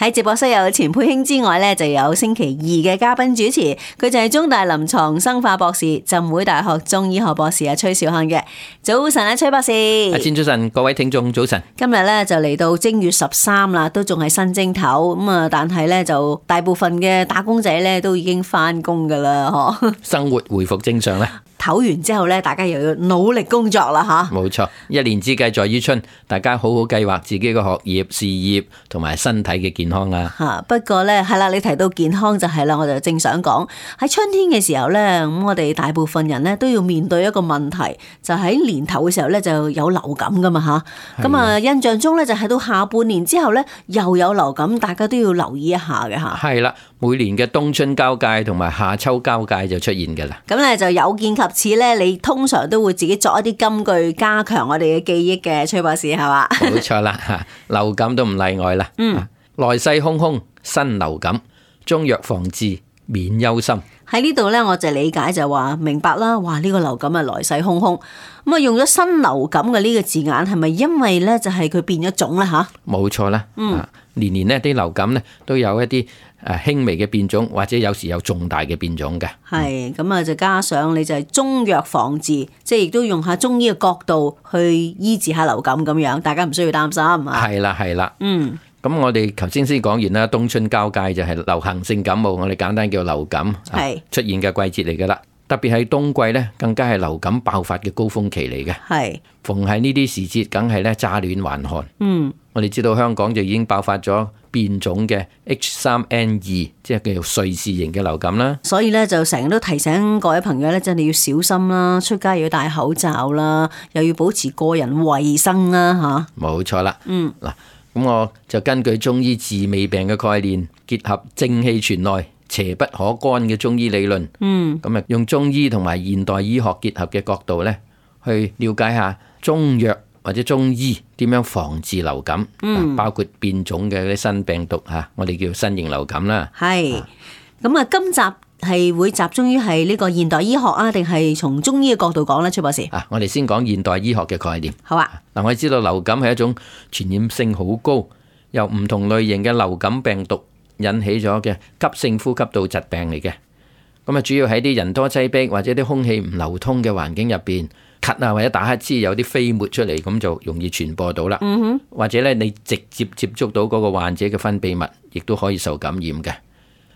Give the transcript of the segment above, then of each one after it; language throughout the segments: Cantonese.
喺直播室有錢佩卿之外咧，就有星期二嘅嘉賓主持，佢就係中大臨床生化博士、浸會大學中醫學博士啊崔兆漢嘅。早晨啊，崔博士。阿千早晨，各位聽眾早晨。今日咧就嚟到正月13啦，都仲係新正頭咁啊，但係咧就大部分嘅打工仔咧都已經翻工噶啦，嗬。生活回復正常啦。唞完之後咧，大家又要努力工作啦，吓。冇錯，一年之計在於春，大家好好計劃自己嘅學業、事業同埋身體嘅健康啦。吓，不過咧係啦，你提到健康就係啦，我就正想講喺春天嘅時候咧，咁我哋大部分人咧都要面對一個問題，就喺年頭嘅時候咧就有流感噶嘛吓。咁啊，印象中咧就係到下半年之後咧又有流感，大家都要留意一下嘅吓。係啦，每年嘅冬春交界同埋夏秋交界就出現噶啦。咁咧就有見及此咧，你通常都會自己作一啲金句加強我哋嘅記憶嘅，崔博士係嘛？冇錯啦，吓，流感都唔例外啦。來勢洶洶，新流感，中藥防治免憂心。喺呢度咧，我就理解就話明白啦。哇，呢個流感啊來勢洶洶，咁啊用咗新流感嘅呢個字眼，係咪因為咧就係佢變咗種咧吓？冇錯啦。年年呢啲流感咧都有一啲輕微嘅變種，或者有時有重大嘅變種嘅。係咁啊，就加上你就係中藥防治，即係亦都用下中醫嘅角度去醫治下流感咁樣，大家唔需要擔心啊。係啦，係啦。咁我哋頭先講完啦，冬春交界就係流行性感冒，我哋簡單叫流感出現嘅季節嚟噶啦。特別係冬季咧，更加係流感爆發嘅高峰期嚟嘅。係逢係呢啲時節，梗係咧乍暖還寒。我哋知道香港就已經爆發咗變種嘅 H3N2，即係叫做瑞士型嘅流感啦。所以咧就成日都提醒各位朋友咧，真係要小心啦，出街要戴口罩啦，又要保持個人衛生啦，吓。冇錯啦。嗱。咁我就根據中醫治未病嘅概念，結合正氣存內、邪不可干嘅中醫理論，咁啊用中醫同埋現代醫學結合嘅角度咧，去了解下中藥或者中醫點樣防治流感，包括變種嘅啲新病毒吓，我哋叫新型流感啦。係，咁啊今集係會集中於係呢個現代醫學啊，定係從中醫嘅角度講咧，崔博士？我哋先講現代醫學嘅概念。好啊。嗱，我哋知道流感係一種傳染性好高，由唔同類型嘅流感病毒引起咗嘅急性呼吸道疾病嚟嘅。咁啊，主要喺啲人多擠迫或者啲空氣唔流通嘅環境入邊，咳啊或者打乞嗤有啲飛沫出嚟，咁就容易傳播到啦。或者咧，你直接接觸到嗰個患者嘅分泌物，亦都可以受感染嘅。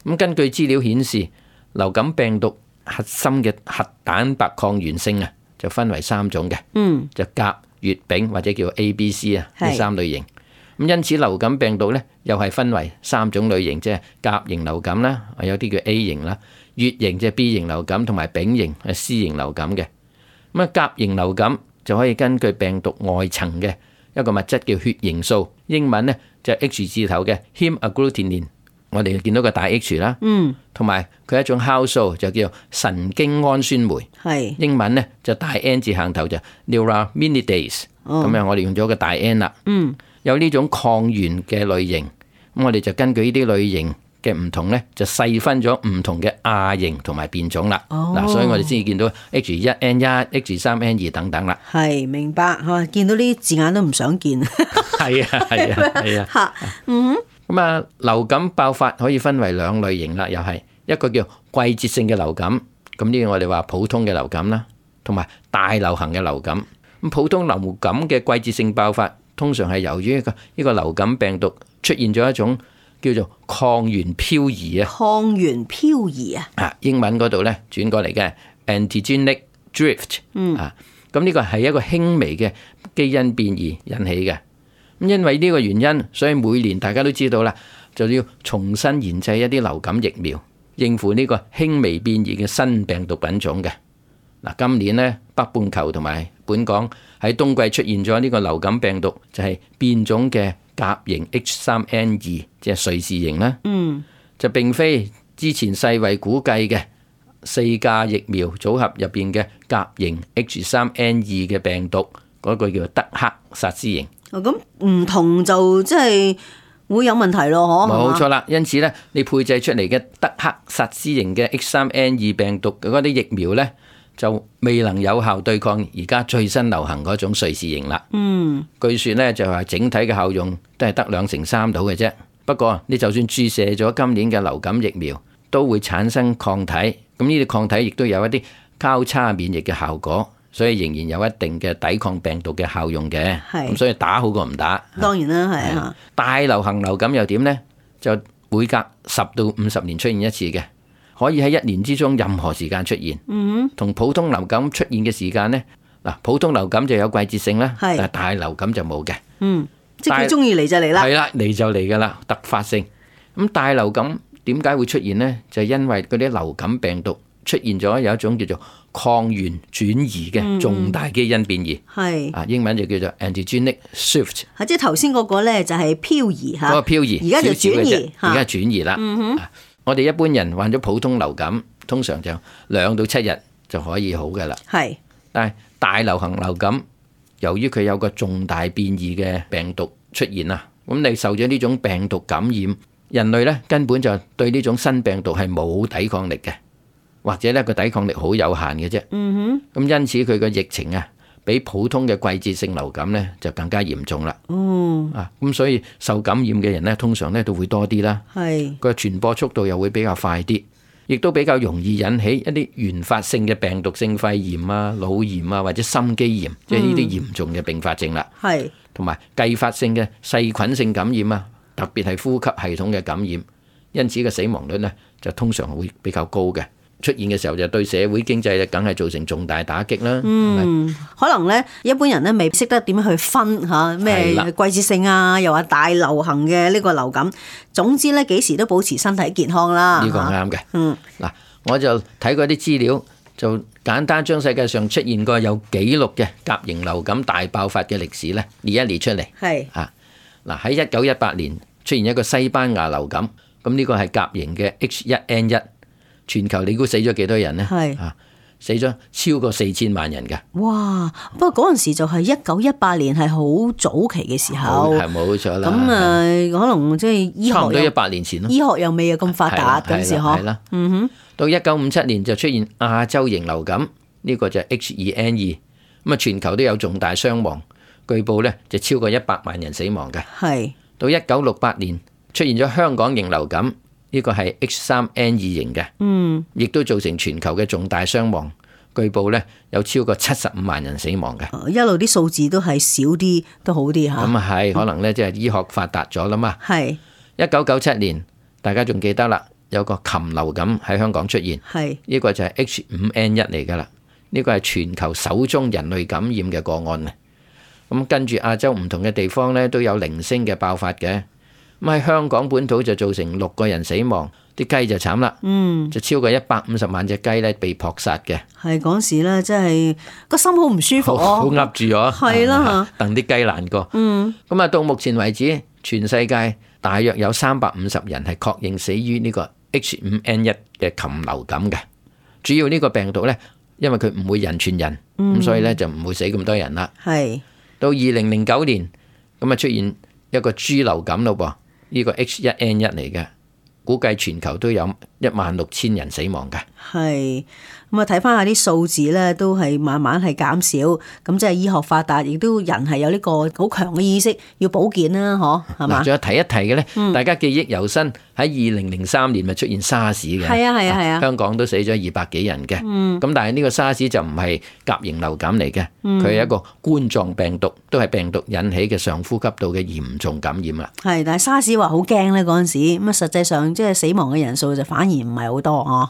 咁根據資料顯示，流感病毒核心嘅核蛋白抗原性啊，就分為3種嘅，就甲、乙、丙或者叫 A、B、C 啊，呢3類型。咁因此流感病毒咧，又係分為3種類型，即係甲型流感啦，有啲叫 A 型啦，乙型即係 B 型流感，同埋丙型係 C 型流感嘅。咁啊，甲型流感就可以根據病毒外層嘅一個物質叫血凝素，英文咧就係 H 字頭嘅 hemagglutinin。我哋見到個大 H 啦，同埋佢一種酵素就叫神經氨酸酶，英文咧就大 N 字行頭就 neuraminidase，咁樣我哋用咗個大 N 啦。有呢種抗原嘅類型，咁我哋就根據呢啲類型嘅唔同咧，就細分咗唔同嘅亞型同埋變種啦。嗱，所以我哋先至見到 H1N1、H3N2 等等啦。係，明白嚇，見到呢啲字眼都唔想見。係啊，係啊，係啊。嚇，咁啊，流感爆發可以分為2類型啦，又係一個叫季節性嘅流感，咁呢個我哋話普通嘅流感啦，同埋大流行嘅流感。咁普通流感嘅季節性爆發，通常係由於呢個流感病毒出現咗一種叫做抗原漂移啊。抗原漂移啊？英文嗰度咧轉過嚟嘅 antigenic drift。咁呢個係一個輕微嘅基因變異引起嘅。咁因為呢個原因，所以每年大家都知道啦，就要重新研製一啲流感疫苗，應付呢個輕微變異嘅新病毒品種嘅。嗱，今年呢，北半球同埋本港喺冬季出現咗呢個流感病毒，就係變種嘅甲型 H3N2，即係瑞士型啦。就並非之前世衛估計嘅4價疫苗組合入邊嘅甲型 H3N2 嘅病毒，嗰個叫德克薩斯型。咁唔同就即係會有問題咯，冇錯啦。因此咧，你配製出嚟嘅德克薩斯型嘅 H3N2 病毒嗰啲疫苗咧，就未能有效對抗而家最新流行嗰種瑞士型啦。據說咧就係整體嘅效用都係得2成3到嘅啫。不過你就算注射咗今年嘅流感疫苗，都會產生抗體。咁呢啲抗體亦都有一啲交叉免疫嘅效果，所以仍然有一定嘅抵抗病毒嘅效用嘅。咁所以打好過唔打。當然啦，係啊。大流行流感又點呢？就每隔10到50年出現一次嘅，可以喺1年之中任何時間出現。同普通流感出現嘅時間呢，嗱，普通流感就有季節性啦，但係大流感就冇嘅。即係佢中意嚟就嚟啦。係啦，嚟就嚟噶啦，突發性。咁大流感點解會出現呢？就係因為嗰啲流感病毒出現咗有一種叫做抗原轉移嘅重大基因變異。英文就叫做 antigenic shift。即係頭先嗰個咧就係漂移嚇。嗰個漂移，而家就轉移，而家轉移啦。我哋一般人患咗普通流感，通常就2到7日就可以好噶啦。但係大流行流感，由於佢有個重大變異嘅病毒出現啦，咁你受咗呢種病毒感染，人類咧根本就對呢種新病毒係冇抵抗力嘅，或者咧個抵抗力好有限嘅啫。咁因此佢個疫情啊，比普通嘅季節性流感咧就更加嚴重啦。咁所以受感染嘅人咧，通常咧都會多啲啦。個傳播速度又會比較快啲，亦都比較容易引起一啲原發性嘅病毒性肺炎啊、腦炎啊或者心肌炎，即係呢啲嚴重嘅併發症啦。同埋繼發性嘅細菌性感染啊，特別係呼吸系統嘅感染，因此嘅死亡率呢就通常會比較高嘅。出現嘅時候就對社會經濟梗係造成重大打擊啦。可能咧一般人咧未識得點樣去分嚇咩季節性啊，又話大流行嘅呢個流感。總之咧幾時都保持身體健康啦。呢個啱嘅。嗱，我就睇過啲資料，就簡單將世界上出現過有記錄嘅甲型流感大爆發嘅歷史咧列一列出嚟。嗱，喺1918年出現一個西班牙流感，咁呢個係甲型嘅 H1N1。全球你估死咗幾多人呢？死咗超過4000萬人㗎。哇！不過嗰陣時就係1918年，係好早期嘅時候。係冇錯啦。咁可能即係醫學差唔多100年前咯。醫學又未有咁發達嗰陣時嗬。係啦。到1957年就出現亞洲型流感，呢個就係 H2N2。咁啊，全球都有重大傷亡，據報咧就超過100萬人死亡嘅。到1968年出現咗香港型流感。呢個係 H3N2 型嘅，亦都造成全球嘅重大傷亡。據報咧有超過75萬人死亡嘅。一路啲數字都係少啲，都好啲嚇。咁啊係，可能咧即係醫學發達咗啦嘛。1997年，大家仲記得啦，有個禽流感喺香港出現。呢個就係 H5N1 嚟㗎啦。呢個係全球首宗人類感染嘅個案啊。咁跟住亞洲唔同嘅地方咧都有零星嘅爆發嘅。咁喺香港本土就造成6個人死亡，啲雞就慘啦，就超過150萬隻雞咧被撲殺嘅。係嗰時咧，真係個心好唔舒服，好噏住咗，係啦，戥啲雞難過。咁啊，到目前為止，全世界大約有350人係確認死於呢個 H5N1 嘅禽流感嘅。主要呢個病毒咧，因為佢唔會人傳人，咁所以咧就唔會死咁多人啦。到2009年，咁啊出現一個豬流感咯噃。呢個 H1N1 嚟嘅，估計全球都有16000人死亡嘅。咁啊，睇翻下啲數字咧，都係慢慢係減少。咁即係醫學發達，亦都人係有呢個好強嘅意識要保健啦，嗬，係嘛？仲有提一提嘅咧，大家記憶猶新，喺2003年咪出現沙士嘅。係啊，香港都死咗200幾人嘅。咁但係呢個沙士就唔係甲型流感嚟嘅，佢係一個冠狀病毒，都係病毒引起嘅上呼吸道嘅嚴重感染啦。但係沙士話好驚咧嗰陣時，咁啊實際上即係死亡嘅人數就反而唔係好多嗬。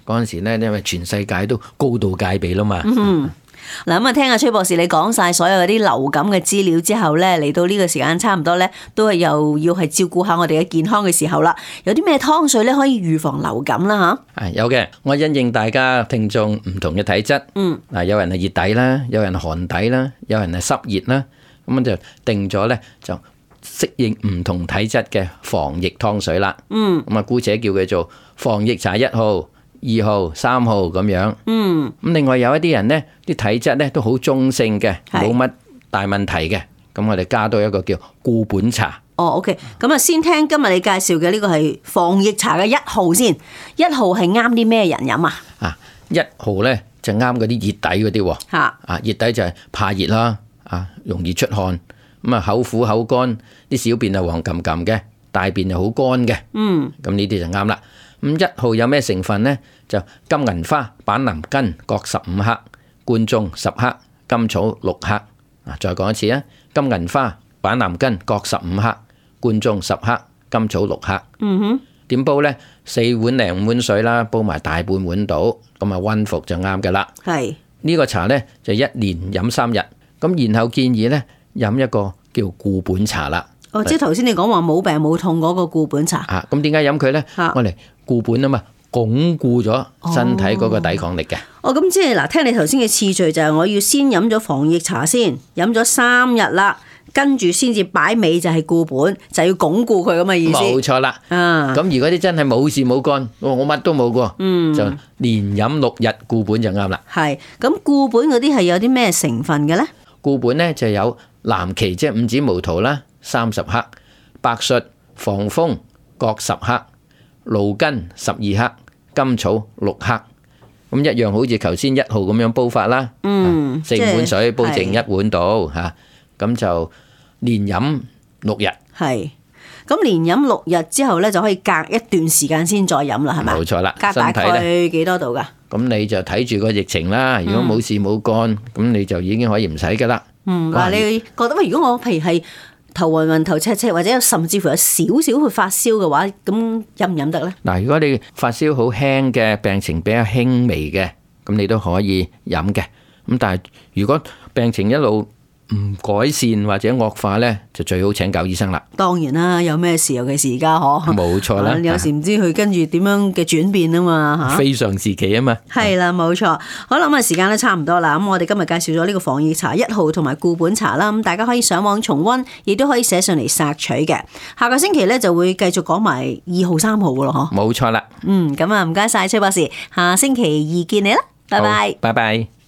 嗰陣時咧，因為全世界都高度戒備啦嘛。嗱，咁啊，聽阿崔博士你講晒所有嗰啲流感嘅資料之後咧，嚟到呢個時間差唔多咧，都係又要係照顧下我哋嘅健康嘅時候啦。有啲咩湯水咧可以預防流感啦？吓，有嘅。我因應大家聽眾唔同嘅體質，有人係熱底啦，有人寒底啦，有人係濕熱啦，咁就定咗咧就適應唔同體質嘅防疫湯水啦。咁啊，姑且叫佢做防疫茶1號、2號、3號咁樣。咁另外有一啲人呢，啲體質呢都好中性嘅，冇乜大問題嘅。咁我哋加多一個叫固本茶。OK。咁啊，先聽今日你介紹嘅呢個係防疫茶嘅1號先。1號係啱啲咩人飲啊？1號呢就啱嗰啲熱底嗰啲。熱底就係怕熱啦，容易出汗，咁啊口苦口乾，啲小便係黃冚冚嘅，大便又好乾嘅。咁呢啲就啱啦。咁1號有咩成分呢？就金銀花、板藍根各15克，貫中10克，甘草6克。再講一次啊，金銀花、板藍根各15克，貫中10克，甘草6克。點煲呢？4碗零5碗水啦，煲埋大半碗到，咁啊溫服就啱噶啦。係呢個茶呢，就1連飲3日，咁然後建議呢，飲一個叫固本茶啦。哦，即係頭先你講話冇病冇痛嗰個固本茶。咁點解飲佢呢？我嚟固本啊嘛，鞏固咗身體嗰個抵抗力嘅。咁即係嗱，聽你頭先嘅次序就係我要先飲咗防疫茶先，飲咗3日啦。跟住先至擺尾就係固本，就要鞏固佢咁嘅意思。冇錯啦。咁如果啲真係冇事冇乾，我乜都冇過，就連飲6日固本就啱啦。係咁，固本嗰啲係有啲咩成分嘅呢？固本呢就有藍芪，即係五指毛桃啦，30克；白術、防風各10克；蘆根12克；甘草6克。咁一樣好似頭先1號咁樣煲法啦。4碗水煲剩1碗到嚇，咁就連飲6日。係，咁連飲6日之後咧，就可以隔一段時間先再飲啦，係咪？冇錯啦。隔大概幾多度㗎？咁你就睇住個疫情啦。如果冇事冇乾，咁你就已經可以唔使㗎啦。嗱，你覺得如果我譬如係頭暈暈、頭赤赤，或者甚至乎有少少去發燒嘅話，咁飲唔飲得咧？嗱，如果你發燒好輕嘅，病情比較輕微嘅，咁你都可以飲嘅。咁但係如果病情一路唔改善或者惡化呢，就最好請教醫生啦。當然啦，有咩事，尤其是而家冇錯啦。有時唔知佢跟住點樣嘅轉變啊嘛，非常時期啊嘛。係啦，冇錯。好啦，咁啊時間都差唔多啦。咁我哋今日介紹咗呢個防疫茶1號同埋固本茶啦。咁大家可以上網重溫，亦都可以寫上嚟索取嘅。下個星期呢，就會繼續講埋2號、3號嘅咯，冇錯啦。咁啊唔該晒崔博士，下星期2見你啦，拜拜。拜拜。